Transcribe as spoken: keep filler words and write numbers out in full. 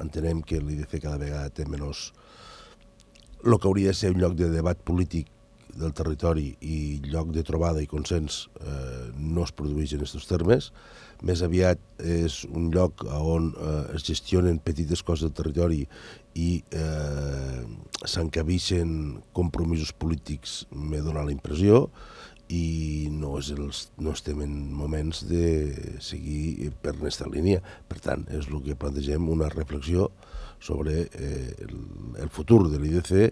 entenem que l'I D C cada vegada té menys... El que hauria de ser un lloc de debat polític del territori i lloc de trobada i consens eh, no es produeix en aquests termes. Més aviat és un lloc on eh, es gestionen petites coses del territori i eh, s'encabixen compromisos polítics, m'he donat la impressió, i no, és els, no estem en moments de seguir per aquesta línia. Per tant, és el que plantegem, una reflexió sobre eh, el, el futur de l'I D C